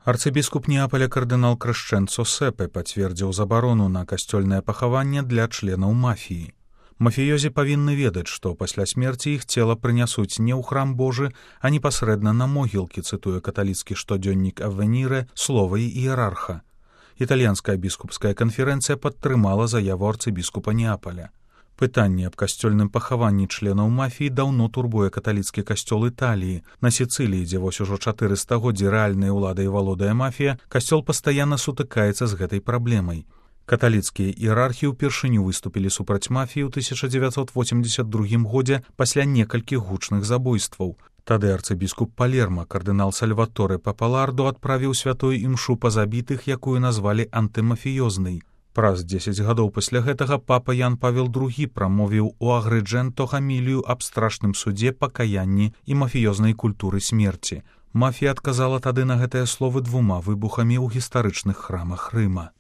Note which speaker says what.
Speaker 1: Арцыбіскуп Неапаля кардынал Крэшчэнцо Сэпе пацвердзіў забарону на касцёльнае пахаванне для членаў мафіі. Мафіёзі павінны ведаць, што пасля смерці іх цела прынясуць не ў храм Божы, а непасрэдна на могілкі, цытуе каталіцкі штодзённік Аввенірэ слова іерарха. Італьянская біскупская канферэнцыя падтрымала заяву арцыбіскупа Неапаля. Пытанне аб касцёльным пахаванні членаў мафіі даўно турбуе каталіцкі касцёл Італіі. На Сіцыліі, дзе вось ужо 4 стагоддзі рэальнай уладай валодае мафія, касцёл пастаянна сутыкаецца з гэтай праблемай. Каталіцкія іерархі ўпершыню выступілі супраць мафіі ў 1982 годзе пасля некалькіх гучных забойстваў. Тады арцыбіскуп Палерма, кардынал Сальваторе Папалардо, адправіў святую імшу па забітых, якую назвалі антымафіёзнай. Праз 10 гадоў пасля гэтага папа Ян Павел II прамовіў у Агрыджэнто хамілію аб страшным судзе, пакаянні і мафіёзнай культуры смерці. Мафія адказала тады на гэтыя словы 2 выбухамі ў гістарычных храмах Рыма.